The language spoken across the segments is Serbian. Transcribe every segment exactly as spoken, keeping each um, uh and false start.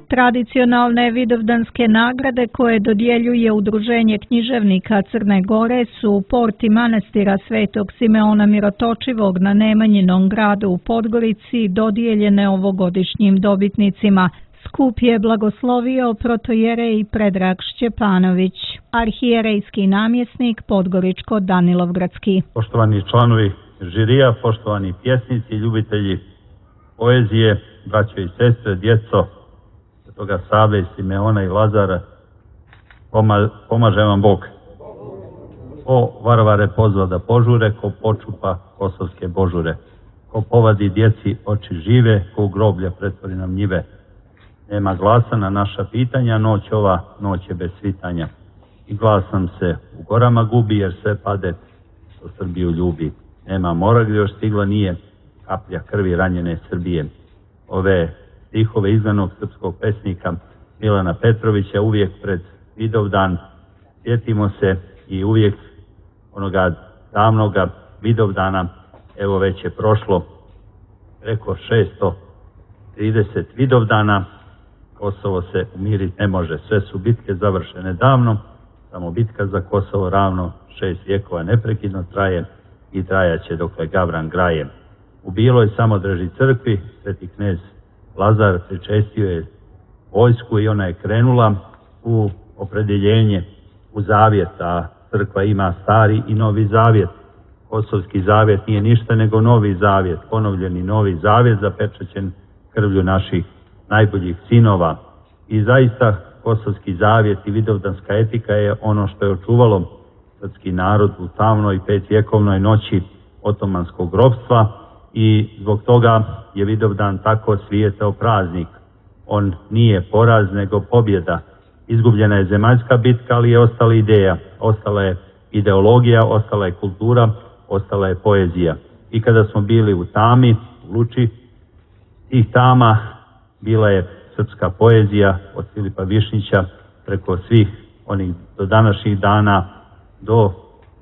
Tradicionalne vidovdanske nagrade koje dodjeljuje Udruženje književnika Crne Gore su porti manastira Svetog Simeona Mirotočivog na Nemanjinom gradu u Podgorici dodijeljene ovogodišnjim dobitnicima. Skup je blagoslovio protojerej Predrag Šćepanović, arhijerejski namjesnik Podgoričko-Danilovgradski. Poštovani članovi žirija, poštovani pjesnici, ljubitelji poezije, braćo i sestre, djeco toga Save, Simeona i Lazara, pomaže vam Bog. Ko varvare pozva da požure, ko počupa kosovske božure, ko povadi djeci oči žive, ko u groblja pretvori nam njive. Nema glasa na naša pitanja, noć ova, noć je bez svitanja. I glas nam se u gorama gubi, jer sve pade što Srbiju ljubi. Nema mora gdje još stigla nije kaplja krvi ranjene Srbije. Ove stihove izdanog srpskog pesnika Milana Petrovića uvijek pred Vidovdan sjetimo se i uvijek onoga davnoga Vidovdana, evo već je prošlo preko šesto trideset Vidovdana, Kosovo se umiriti ne može, sve su bitke završene davno, samo bitka za Kosovo ravno šest vjekova neprekidno traje i trajaće dokle Gavran graje. U Biloj Samodreži crkvi sveti knez Lazar pričestio je vojsku i ona je krenula u opredjeljenje, u zavjet, a crkva ima stari i novi zavjet. Kosovski zavjet nije ništa nego novi zavjet, ponovljeni novi zavjet zapečaćen krvlju naših najboljih sinova. I zaista kosovski zavjet i vidovdanska etika je ono što je očuvalo srpski narod u tamnoj petvjekovnoj noći otomanskog ropstva i zbog toga je Vidovdan tako svijetao praznik. On nije poraz nego pobjeda. Izgubljena je zemaljska bitka, ali je ostala ideja, ostala je ideologija, ostala je kultura, ostala je poezija. I kada smo bili u tami, u luči tih tama, bila je srpska poezija od Filipa Višnjića preko svih onih do današnjih dana, do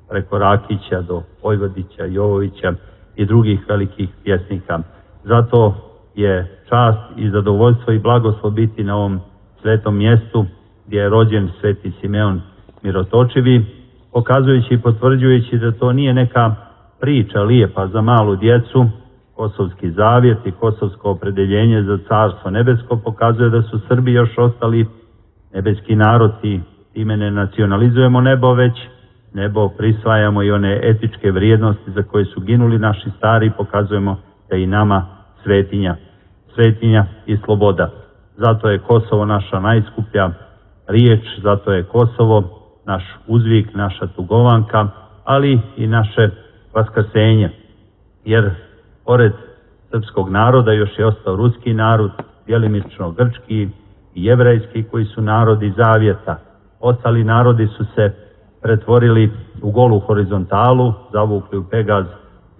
preko Rakića, do Vojvodića, Jovovića i drugih velikih pjesnika. Zato je čast i zadovoljstvo i blagoslov biti na ovom svetom mjestu gdje je rođen sveti Simeon Mirotočivi, pokazujući i potvrđujući da to nije neka priča lijepa za malu djecu. Kosovski zavjet i kosovsko opredeljenje za carstvo nebesko pokazuje da su Srbi još ostali nebeski narod i time ne nacionalizujemo nebo, već nebo prisvajamo i one etičke vrijednosti za koje su ginuli naši stari, pokazujemo da i nama svetinja, svetinja i sloboda. Zato je Kosovo naša najskuplja riječ, zato je Kosovo naš uzvik, naša tugovanka, ali i naše vaskrsenje. Jer pored srpskog naroda još je ostao ruski narod, djelimično grčki i jevrejski, koji su narodi zavjeta. Ostali narodi su se pretvorili u golu horizontalu, zavukli u pegaz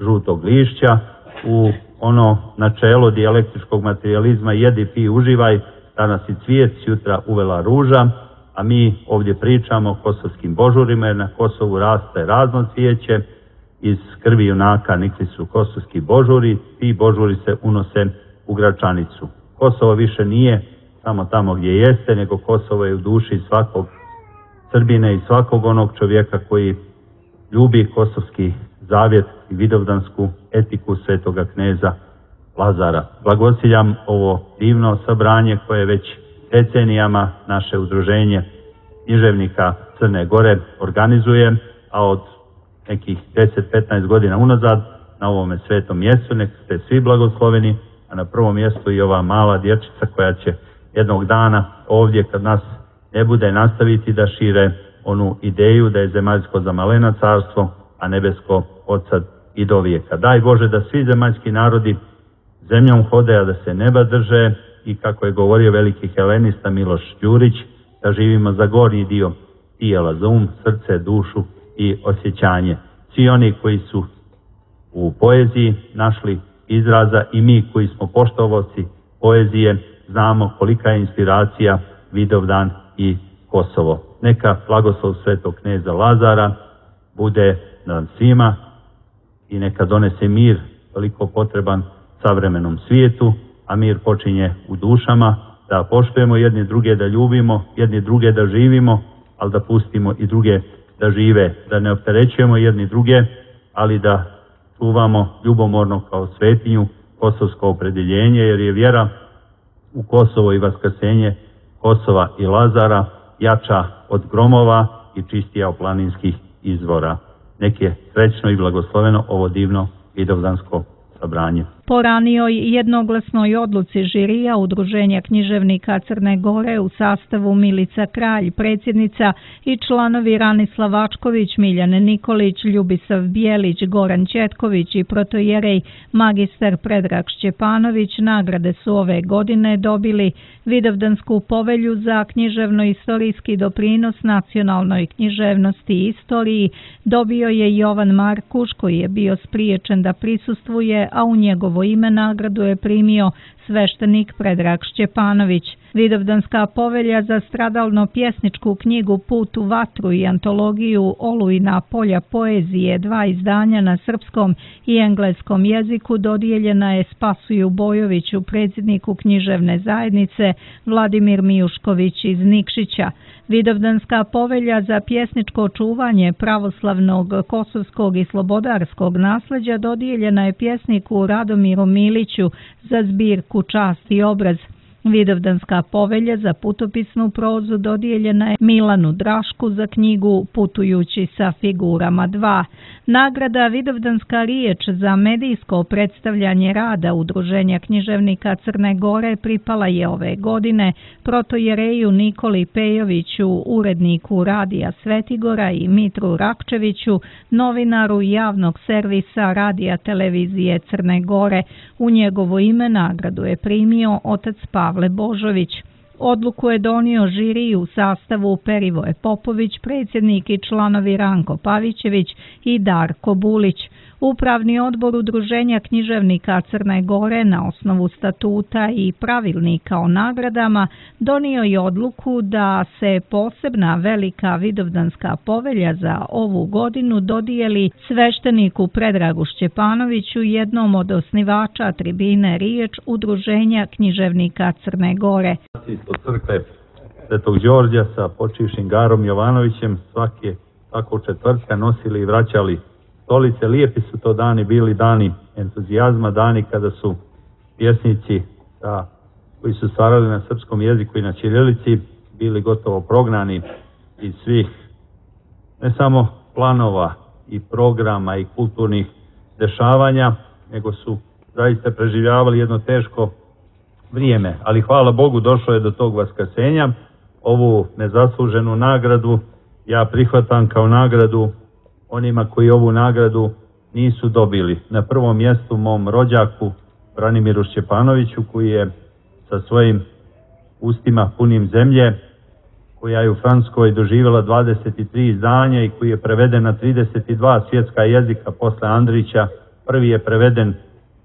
žutog lišća, u ono načelo dijalektičkog materijalizma jedi, pi, uživaj, danas i cvijet, sutra uvela ruža, a mi ovdje pričamo o kosovskim božurima, jer na Kosovu raste razno cvijeće, iz krvi junaka nikli su kosovski božuri, ti božuri se unose u Gračanicu. Kosovo više nije samo tamo gdje jeste, nego Kosovo je u duši svakog Srbine i svakog onog čovjeka koji ljubi kosovski zavjet i vidovdansku etiku svetoga kneza Lazara. Blagosiljam ovo divno sabranje koje već decenijama naše udruženje književnika Crne Gore organizuje, a od nekih deset do petnaest godina unazad na ovome svetom mjestu. Nek ste svi blagosloveni, a na prvom mjestu i ova mala dječica koja će jednog dana ovdje, kad nas ne bude, nastaviti da šire onu ideju da je zemaljsko za malena carstvo, a nebesko od sad i do vijeka. Daj Bože da svi zemaljski narodi zemljom hode, a da se neba drže, i kako je govorio veliki helenista Miloš Đurić, da živimo za gornji dio tijela, za um, srce, dušu i osjećanje. Svi oni koji su u poeziji našli izraza i mi koji smo poštovoci poezije znamo kolika je inspiracija Vidovdan i Kosovo. Neka blagoslov svetog kneza Lazara bude nad svima i neka donese mir toliko potreban savremenom svijetu a mir počinje u dušama, da poštujemo jedni druge, da ljubimo jedni druge, da živimo, ali da pustimo i druge da žive, da ne opterećujemo jedni druge, ali da čuvamo ljubomorno kao svetinju kosovsko opredjeljenje, jer je vjera u Kosovo i vaskrsenje Kosova i Lazara jača od gromova i čistija od planinskih izvora. Nek je srećno i blagosloveno ovo divno vidovdansko sabranje. Po ranijoj jednoglasnoj odluci žirija Udruženja književnika Crne Gore u sastavu Milica Kralj, predsjednica, i članovi Ranislav Ačković, Miljane Nikolić, Ljubisav Bijelić, Goran Ćetković i protojerej magistar Predrag Šćepanović nagrade su ove godine dobili Vidovdansku povelju za književno-istorijski doprinos nacionalnoj književnosti i istoriji dobio je Jovan Markuš, koji je bio spriječen da prisustvuje, a u njegovo ime nagradu je primio sveštenik Predrag Šćepanović. Vidovdanska povelja za stradalno-pjesničku knjigu Put u vatru i antologiju Olujna polja poezije, dva izdanja na srpskom i engleskom jeziku, dodijeljena je Spasuju Bojoviću, predsjedniku književne zajednice, Vladimir Mijušković iz Nikšića. Vidovdanska povelja za pjesničko čuvanje pravoslavnog, kosovskog i slobodarskog nasljeđa dodijeljena je pjesniku Radomiru Miliću za zbirku Čast i obraz. Vidovdanska povelja za putopisnu prozu dodijeljena je Milanu Drašku za knjigu Putujući sa figurama dva. Nagrada Vidovdanska riječ za medijsko predstavljanje rada Udruženja književnika Crne Gore pripala je ove godine protojereju Nikoli Pejoviću, uredniku Radija Svetigora, i Mitru Rakčeviću, novinaru javnog servisa Radija televizije Crne Gore. U njegovo ime nagradu je primio otac Pavle Božović. Odluku je donio žiri u sastavu Perivoje Popović, predsjednik, i članovi Ranko Pavićević i Darko Bulić. Upravni odbor Udruženja književnika Crne Gore na osnovu statuta i pravilnika o nagradama donio je odluku da se posebna velika vidovdanska povelja za ovu godinu dodijeli svešteniku Predragu Šćepanoviću, jednom od osnivača tribine Riječ Udruženja književnika Crne Gore. Od crkve Svetog Đorđa sa počivšim Garom Jovanovićem svake, svakog četvrtka nosili i vraćali stolice. Lijepi su to dani bili, dani entuzijazma, dani kada su pjesnici da, koji su stvarali na srpskom jeziku i na ćirilici bili gotovo prognani iz svih ne samo planova i programa i kulturnih dešavanja, nego su zaista preživljavali jedno teško vrijeme. Ali hvala Bogu došlo je do tog vaskrsenja. Ovu nezasluženu nagradu ja prihvatam kao nagradu onima koji ovu nagradu nisu dobili. Na prvom mjestu mom rođaku Branimiru Šćepanoviću, koji je sa svojim ustima punim zemlje, koja je u Francuskoj doživjela dvadeset tri izdanja i koji je preveden na trideset dva svjetska jezika posle Andrića. Prvi je preveden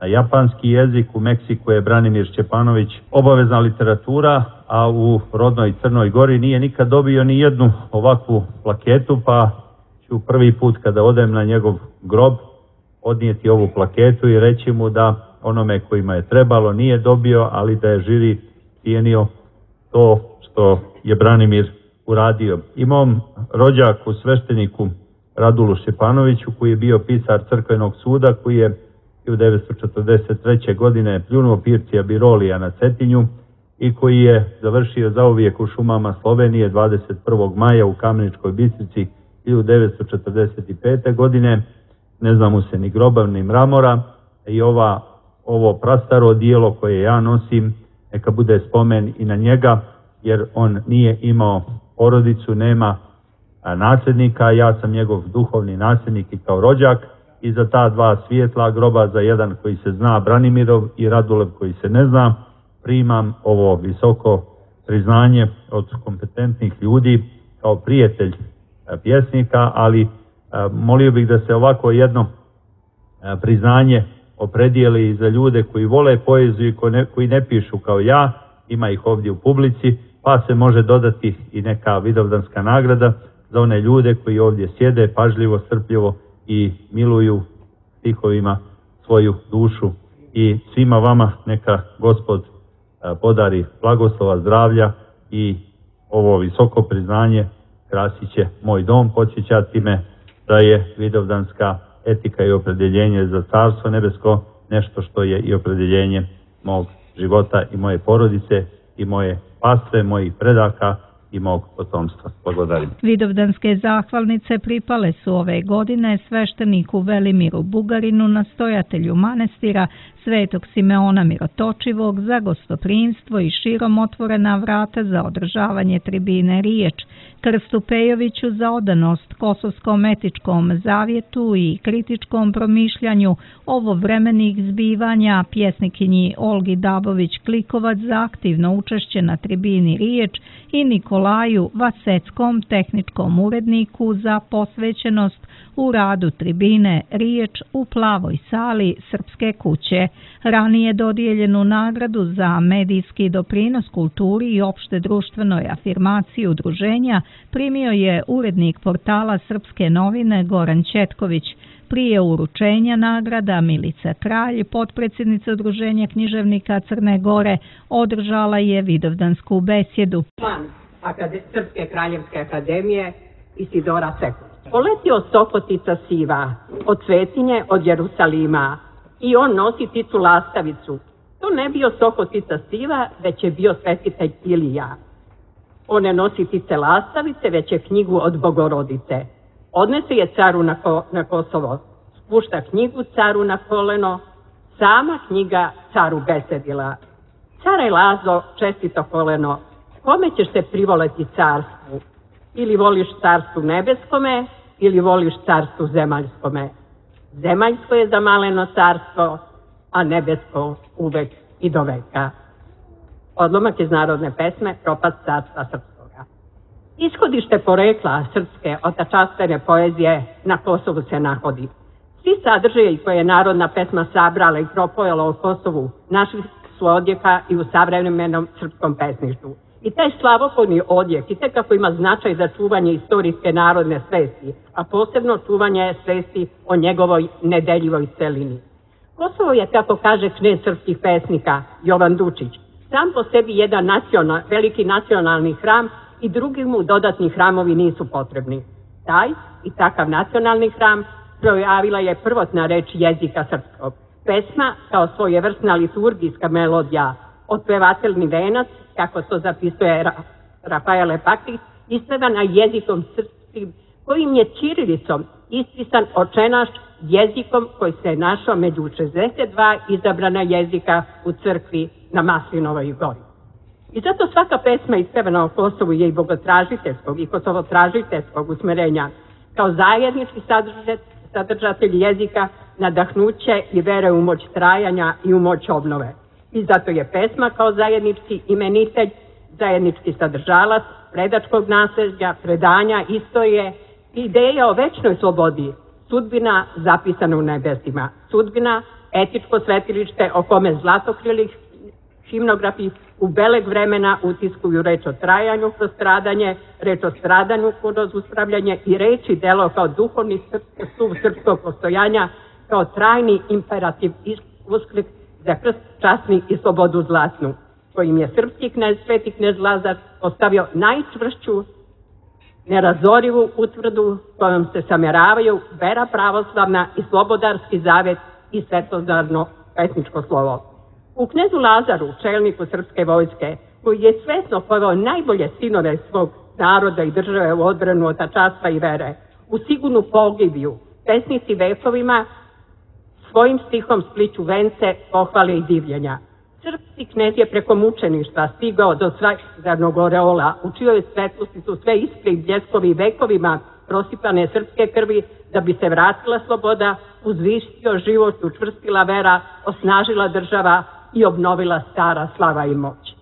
na japanski jezik, u Meksiku je Branimir Šćepanović obavezna literatura, a u rodnoj Crnoj Gori nije nikad dobio ni jednu ovakvu plaketu, pa ću prvi put kada odem na njegov grob odnijeti ovu plaketu i reći mu da onome kojima je trebalo nije dobio, ali da je žiri cijenio to što je Branimir uradio. I mom rođaku, svešteniku Radulu Šćepanoviću, koji je bio pisar crkvenog suda, koji je hiljadu devetsto četrdeset treće. godine pljunuo Pircija Birolija na Cetinju i koji je završio zauvijek u šumama Slovenije dvadeset prvog maja u Kameničkoj Bistrici hiljadu devetsto četrdeset pete. godine. Ne zna mu se ni groba ni mramora, i ova, ovo prastaro dijelo koje ja nosim neka bude spomen i na njega, jer on nije imao porodicu, nema nasljednika, ja sam njegov duhovni nasljednik i kao rođak, i za ta dva svijetla groba, za jedan koji se zna Branimirov i Radulev koji se ne zna, primam ovo visoko priznanje od kompetentnih ljudi kao prijatelj pjesnika, ali molio bih da se ovako jedno priznanje opredijeli i za ljude koji vole poeziju i koji ne pišu kao ja, ima ih ovdje u publici, pa se može dodati i neka vidovdanska nagrada za one ljude koji ovdje sjede pažljivo, strpljivo i miluju stihovima svoju dušu i svima vama neka Gospod podari blagoslova, zdravlja i ovo visoko priznanje krasit će moj dom, podsjećati me da je vidovdanska etika i opredjeljenje za Carstvo nebesko nešto što je i opredjeljenje mog života i moje porodice i moje pastve, mojih predaka i mog potomstva. Blagodarim. Vidovdanske zahvalnice pripale su ove godine svešteniku Velimiru Bugarinu, nastojatelju manastira Svetog Simeona Mirotočivog, za gostoprimstvo i širom otvorena vrata za održavanje tribine Riječ, Krstu Pejoviću za odanost Kosovskom etičkom zavjetu i kritičkom promišljanju ovovremenih zbivanja, pjesnikinji Olgi Dabović-Klikovac za aktivno učešće na tribini Riječ i Nikolaju Vaseckom, tehničkom uredniku, za posvećenost u radu tribine Riječ u plavoj sali Srpske kuće. Ranije dodijeljenu nagradu za medijski doprinos kulturi i opšte društvenoj afirmaciji udruženja primio je urednik portala Srpske novine Goran Četković. Prije uručenja nagrada Milica Kralj, potpredsjednica Udruženja književnika Crne Gore, održala je vidovdansku besjedu. Član Srpske kraljevske akademije Isidora Sekulić. Poletio Sokotica siva od Svetinje, od Jerusalima, i on nosi ticu lastavicu. To ne bio Sokotica siva, već je bio svetitelj Ilija. On ne nosi tice lastavice, već je knjigu od Bogorodice. Odnese je caru na, ko, na Kosovo, spušta knjigu caru na koleno, sama knjiga caru besedila. Care Lazo, čestito koleno, kome ćeš se privoleti carstvu? Ili voliš carstvu nebeskome, ili voliš carstvu zemaljskome. Zemaljsko je zamaleno carstvo, a nebesko uvek i do veka. Odlomak iz narodne pesme Propast carstva srpskoga. Ishodište porekla srpske otačastvene poezije na Kosovu se nahodi. Svi sadržaji koje je narodna pesma sabrala i propojala o Kosovu našli su odjeka i u savremenom srpskom pesništvu. I taj slavopolni odjek i tek kako ima značaj za čuvanje istorijske narodne svesti, a posebno čuvanje svesti o njegovoj nedeljivoj celini. Kosovo je, kako kaže knez srpskih pesnika Jovan Dučić, sam po sebi jedan nacional, veliki nacionalni hram i drugi mu dodatni hramovi nisu potrebni. Taj i takav nacionalni hram projavila je prvotna reč jezika srpskog. Pesma kao svojevrsna liturgijska melodija, otpevateljni venac, kako to zapisuje Ra Rafael Pakić, ispevana jezikom srpskim, kojim je ćirilicom ispisan očenaš jezikom koji se našao među šezdeset dva izabrana jezika u crkvi na Maslinovoj gori. I zato svaka pesma ispevana o Kosovu je i bogotražiteljskog i kosovotražiteljskog usmerenja, kao zajednički sadržatelj jezika, nadahnuće i vere u moć trajanja i u moć obnove. I zato je pesma kao zajednički imenitelj, zajednički sadržalac predačkog nasljeđa, predanja, istorije, ideja o večnoj slobodi, sudbina zapisana u nebesima, sudbina etičko svetilište o kome zlatokrili himnografi u beleg vremena utiskuju reč o trajanju kroz stradanje, reč o stradanju kroz uspravljanje i reč i delo kao duhovni stup srpskog postojanja, kao trajni imperativ usklik za krst časni i slobodu zlatnu, kojim je srpski knez, sveti knez Lazar postavio najčvršću, nerazorivu utvrdu kojom se sameravaju vera pravoslavna i slobodarski zavet i svetozarno pesničko slovo. U knezu Lazaru, čelniku srpske vojske, koji je svesno poveo najbolje sinove svog naroda i države u odbranu otačanstva i vere, u sigurnu pogibiju, pesnici vekovima svojim stihom spliću vence, pohvale i divljenja. Srpski knez je preko mučeništva stigao do svakdarnog oreola, u čijoj svetlosti su sve iskri i bljeskovi vekovima prosipane srpske krvi, da bi se vratila sloboda, uzvišio život, učvrstila vera, osnažila država i obnovila stara slava i moć.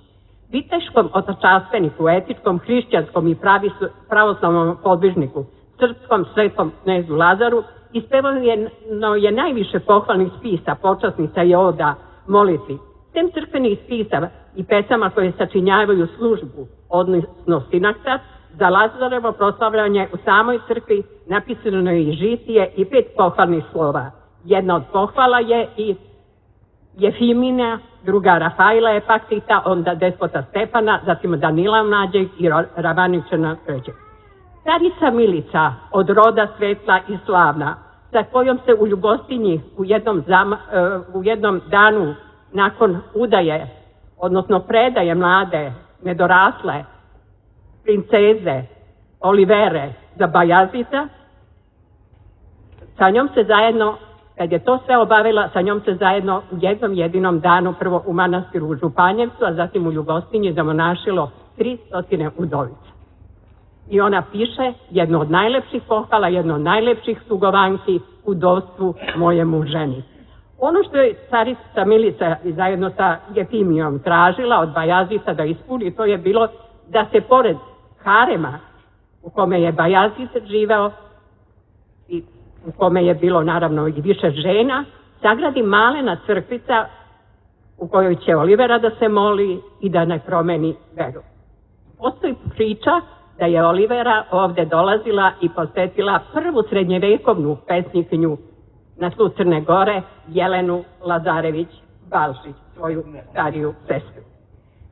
Viteškom otačanstveniku, etičkom, hrišćanskom i pravoslavnom podvižniku, srpskom svetom knezu Lazaru, ispevano je najviše pohvalnih spisa, počasnica i oda, molitvi. Sem crkvenih spisa i pesama koje sačinjavaju službu, odnosno sinaktat, za Lazarevo proslavljanje u samoj crkvi napisano je i žitije i pet pohvalnih slova. Jedna od pohvala je i Jefimina, druga Rafaila Epakita, onda despota Stefana, zatim Danila Mlađeg i Ravaničana Krđe. Carica Milica, od roda svetla i slavna, sa kojom se u Ljubostinji u jednom, zama, u jednom danu nakon udaje, odnosno predaje mlade, nedorasle, princeze, Olivere za Bajazita, sa njom se zajedno, kad je to sve obavila, sa njom se zajedno u jednom jedinom danu, prvo u manastiru u Županjevcu, a zatim u Ljubostinji zamonašilo tri stotine udovica. I ona piše jedno od najlepših pohvala, jedno od najlepših tugovanki u udovstvu mojemu ženi. Ono što je carica Milica zajedno sa Jefimijom tražila od Bajazita da ispuni, to je bilo da se pored harema u kome je Bajazit živeo i u kome je bilo naravno i više žena, sagradi malena crkvica u kojoj će Olivera da se moli i da ne promeni veru. Postoji priča da je Olivera ovde dolazila i posetila prvu srednjevekovnu pesnikinju na tlu Crne Gore, Jelenu Lazarević-Balšić, svoju stariju sestru.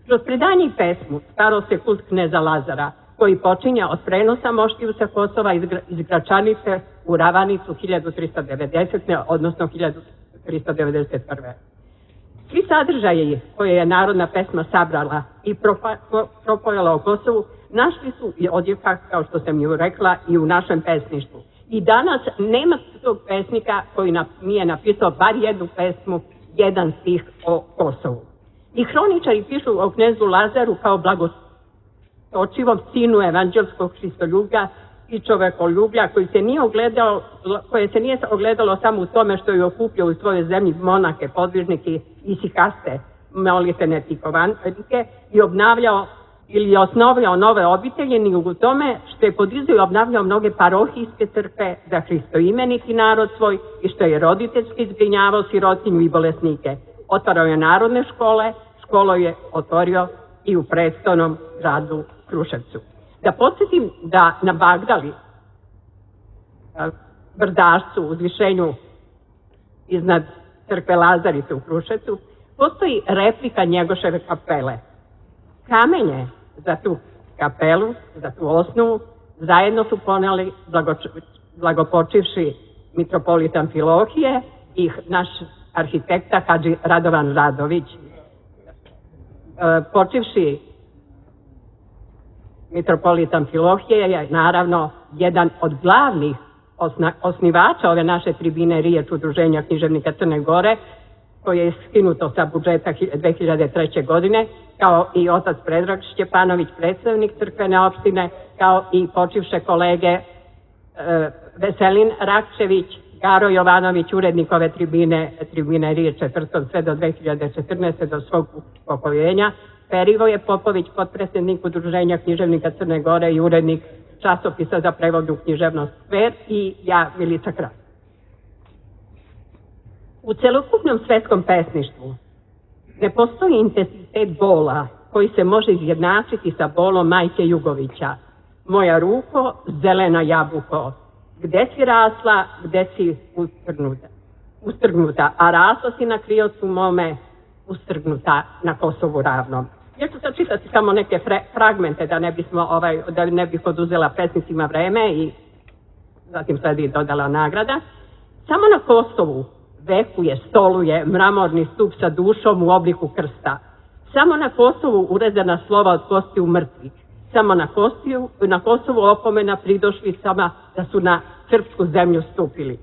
Kroz predanje i pesmu staro se kult kneza Lazara, koji počinja od prenosa moštiju sa Kosova iz Gračanice u Ravanicu hiljadu trista devedesete. odnosno hiljadu trista devedeset prve. Svi sadržaji koje je narodna pesma sabrala i propojala o Kosovu našli su i odjeka, kao što sam ju rekla, i u našem pesništvu. I danas nema tog pesnika koji nije napisao bar jednu pesmu, jedan stih o Kosovu. I hroničari pišu o knezu Lazaru kao blagostočivom sinu evanđelskog Hristoljublja i čovekoljublja koji se nije ogledalo, koje se nije ogledalo samo u tome što je okupljao u svojoj zemlji monake, podvižnike i sikaste, molitene tikovanike i obnavljao ili je osnovljao nove obitelje, ni u tome što je podizao i obnavljao mnoge parohijske crkve za hristoimeniti narod svoj i što je roditeljski zbrinjavao sirotinju i bolesnike. Otvarao je narodne škole, školu je otvorio i u prestolnom gradu Kruševcu. Da podsjetim da na Bagdali, brdašcu, uzvišenju iznad crkve Lazarice u Kruševcu, postoji replika Njegoševe kapele. Kamenje za tu kapelu, za tu osnovu, zajedno su poneli blagopočivši mitropolit Amfilohije i naš arhitekta Hadži Radovan Radović. Počivši mitropolit Amfilohije je naravno jedan od glavnih osnivača ove naše tribine riječ Udruženja književnika Crne Gore, koje je skinuto sa budžeta dve hiljade treće. godine, kao i otac Predrag Šćepanović, predstavnik crkvene opštine, kao i počivše kolege e, Veselin Rakčević, Garo Jovanović, urednik ove tribine, tribine riječ četvrtom sve do dve hiljade četrnaeste. do svog upokojenja, Perivoje Popović, potpredsjednik Udruženja književnika Crne Gore i urednik časopisa za prevodnu književnost Skver i ja, Milica Kralj. U celokupnom svetskom pesništvu ne postoji intenzitet bola koji se može izjednačiti sa bolom majke Jugovića. Moja ruko, zelena jabuko, gde si rasla, gde si ustrgnuta, ustrgnuta a rasla si na kriocu mome, ustrgnuta na Kosovu ravnom. Ja ću sad čitati samo neke fragmente da ne bismo, ovaj, da ne bih oduzela pesnicima vreme i zatim sledi dodala nagrada. Samo na Kosovu vekuje, stoluje mramorni stup sa dušom u obliku krsta. Samo na Kosovu urezana slova od kostiju mrtvih. Samo na, kostiju, na Kosovu opomena pridošlicama da su na srpsku zemlju stupili.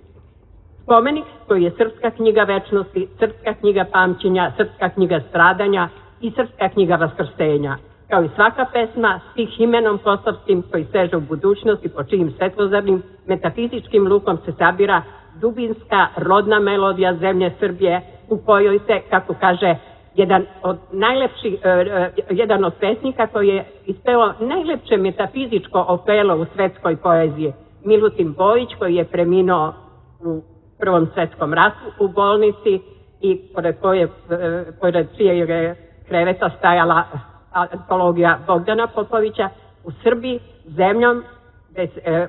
Spomenik koji je srpska knjiga večnosti, srpska knjiga pamćenja, srpska knjiga stradanja i srpska knjiga vaskrsenja. Kao i svaka pesma, stih imenom kosovskim koji seže u budućnosti po čijim svetlozarnim metafizičkim lukom se sabira dubinska rodna melodija zemlje Srbije u kojoj se, kako kaže jedan od najlepših, jedan od pesnika koji je ispeo najlepše metafizičko opelo u svetskoj poeziji, Milutin Bojić, koji je preminuo u Prvom svetskom ratu u bolnici i pored koje, pored čijeg kreveta stajala antologija Bogdana Popovića, u Srbiji zemljom,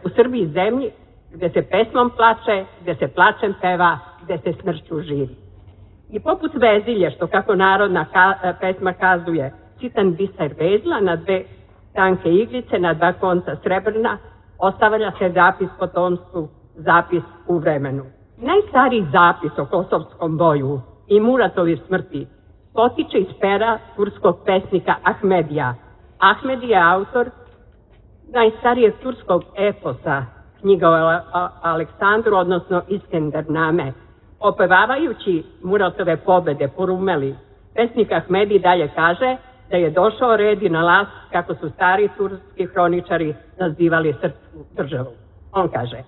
u Srbiji zemlji gde se pesmom plače, gde se plačem peva, gde se smrću živi. I poput vezilje, što kako narodna ka, pesma kazuje, sitan biser vezla na dve tanke iglice, na dva konca srebrna, ostavlja se zapis potomstvu, zapis u vremenu. Najstariji zapis o kosovskom boju i Muratovih smrti potiče iz pera turskog pesnika Ahmedija. Ahmedi je autor najstarijeg turskog eposa, knjiga o Aleksandru, odnosno Iskendername. Opevavajući Muratove pobede po Rumeli, pesnik Ahmedi dalje kaže da je došao red i na las, kako su stari turski hroničari nazivali srpsku državu. On kaže: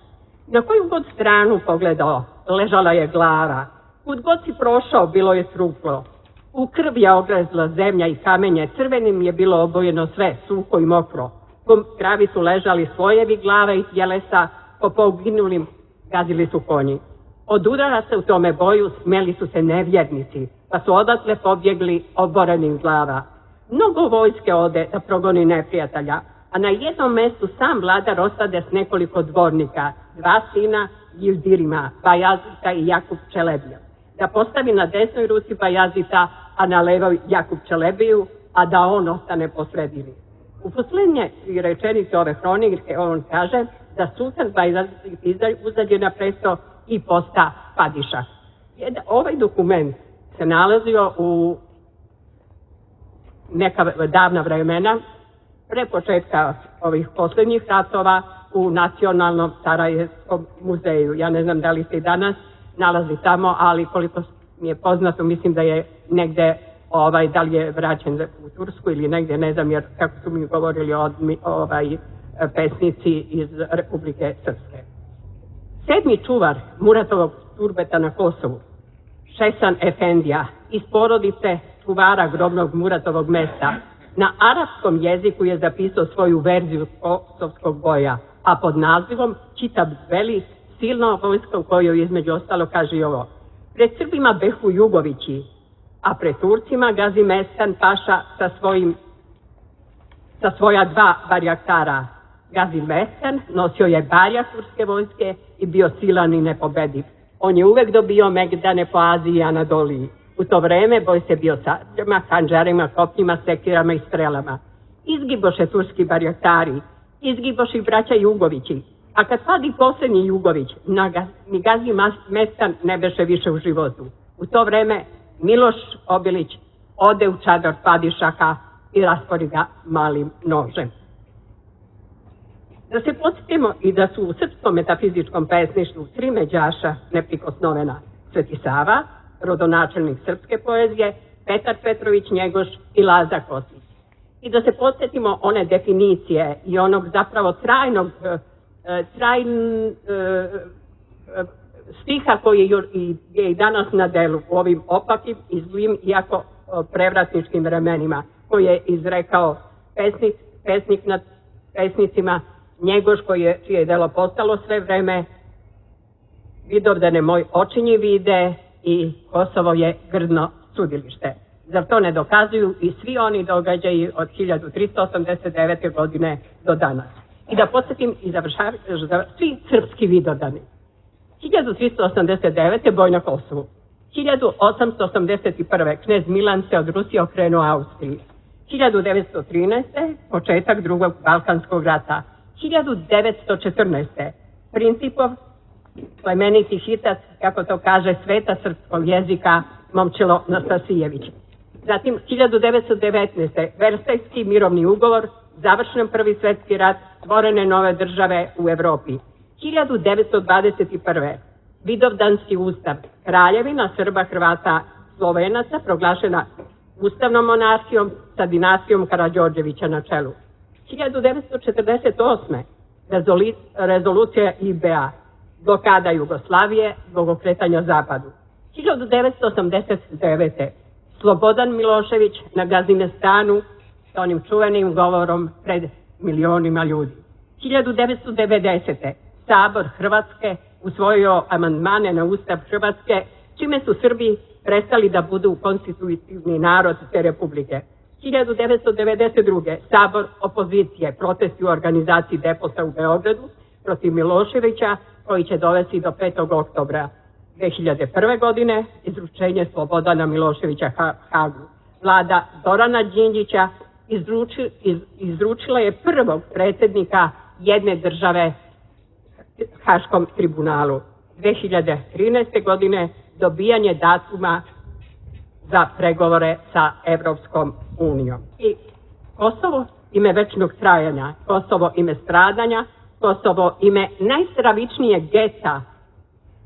na koju god stranu pogledao, ležala je glava, kud god si prošao, bilo je truplo. U krv je ogrezla zemlja i kamenje, crvenim je bilo obojeno sve, suho i mokro. Po travi su ležali slojevi glave i tjelesa, po poginulim gazili su konji. Od udara se u tome boju smeli su se nevjernici, pa su odatle pobjegli oborenih glava. Mnogo vojske ode da progoni neprijatelja, a na jednom mjestu sam vladar ostade s nekoliko dvornika, dva sina Gildirima, Bajazita i Jakub Čelebija, da postavi na desnoj ruci Bajazita, a na levoj Jakub Čelebiju, a da on ostane po sredini. U posljednje rečenice ove hronike on kaže da sultan Bajazit uzađe na presto i posta padiša. Ovaj dokument se nalazio u neka davna vremena, pre početka ovih posljednjih ratova, u Nacionalnom Sarajevskom muzeju. Ja ne znam da li se i danas nalazi tamo, ali koliko mi je poznato, mislim da je negde, ovaj, da li je vraćen u Tursku ili negde, ne znam, jer kako su mi govorili od, ovaj, pesnici iz Republike Srpske. Sedmi čuvar Muratovog turbeta na Kosovu, Šesan Efendija, iz porodice čuvara grobnog Muratovog mesta, na arapskom jeziku je zapisao svoju verziju kosovskog boja, a pod nazivom Čitab Veli, silna vojska u kojoj između ostalo kaže i ovo: pred Srbima behu Jugovići, a pred Turcima gazi Mestan Paša sa, svojim, sa svoja dva barjaktara. Gazi Mestan nosio je barjak turske vojske i bio silan i nepobediv. On je uvek dobio megdane po Aziji i Anadoliji. U to vreme boj se bio sađama, hanđarima, kopnjima, sekirama i strelama. Izgiboše turski barjaktari, izgiboše i braća Jugovići, a kad padi posljednji Jugović, ni gazi Mestan ne beše više u životu. U to vreme Miloš Obilić ode u čadar padišaka i raspori ga malim nožem. Da se podsjetimo i da su u srpskom metafizičkom pesništvu tri međaša neprikosnovena: Sveti Sava, rodonačelnik srpske poezije, Petar Petrović Njegoš i Laza Kostić. I da se podsjetimo one definicije i onog zapravo trajnog trajn, stiha koji je i danas na delu u ovim opakim i zlim, iako prevratničkim vremenima, koji je izrekao pesnik, pesnik nad pesnicima Njegoš, koji je, čije je delo postalo sve vreme: Vidovdane moj očinji vide i Kosovo je grdno sudilište. Zar to ne dokazuju i svi oni događaji od hiljadu tristo osamdeset devete. godine do danas? I da podsjetim i završavim, svi srpski vidovdani. hiljadu tristo osamdeset devete. boj na Kosovu. hiljadu osamsto osamdeset prve. knez Milan se od Rusije okrenuo Austriji. hiljadu devetsto trinaeste. početak drugog Balkanskog rata. hiljadu devetsto četrnaeste. Principov plemeniti hitac, kako to kaže sveta srpskog jezika, Momčilo Nastasijević. Zatim hiljadu devetsto devetnaeste. Versajski mirovni ugovor, završen prvi svjetski rat, stvorene nove države u Evropi. hiljadu devetsto dvadeset prve. Vidovdanski ustav, kraljevina Srba, Hrvata, Slovenaca, proglašena ustavnom monarhijom sa dinastijom Karađorđevića na čelu. hiljadu devetsto četrdeset osme. Rezolucija I B A, blokada Jugoslavije zbog okretanja zapadu. hiljadu devetsto osamdeset devete. Slobodan Milošević na Gazimestanu sa onim čuvenim govorom pred milionima ljudi. hiljadu devetsto devedesete. Sabor Hrvatske usvojio amandmane na Ustav Hrvatske, čime su Srbi prestali da budu konstitutivni narod te republike. hiljadu devetsto devedeset druge. Sabor opozicije, protesti u organizaciji Depota u Beogradu protiv Miloševića, koji će dovesti do petog oktobra. dve hiljade prve. godine izručenje Slobodana Miloševića Hagu. Vlada Zorana Đinđića izruči, iz, izručila je prvog predsjednika jedne države Haškom tribunalu. dve hiljade trinaeste. godine dobijanje datuma za pregovore sa Evropskom unijom. I Kosovo ime večnog trajanja, Kosovo ime stradanja, Kosovo ime najstravičnijeg geta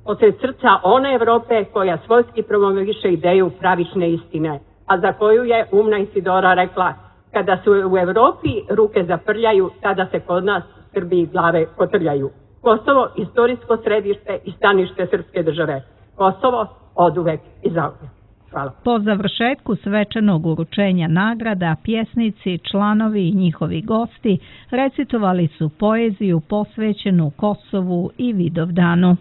posred srca one Evrope koja svojski promoviše ideju pravične istine, a za koju je umna Isidora rekla: kada se u Evropi ruke zaprljaju, tada se kod nas u Srbiji glave kotrljaju. Kosovo, istorijsko središte i stanište srpske države. Kosovo, oduvek i zauvek. Hvala. Po završetku svečanog uručenja nagrada, pjesnici, članovi i njihovi gosti recitovali su poeziju posvećenu Kosovu i Vidovdanu.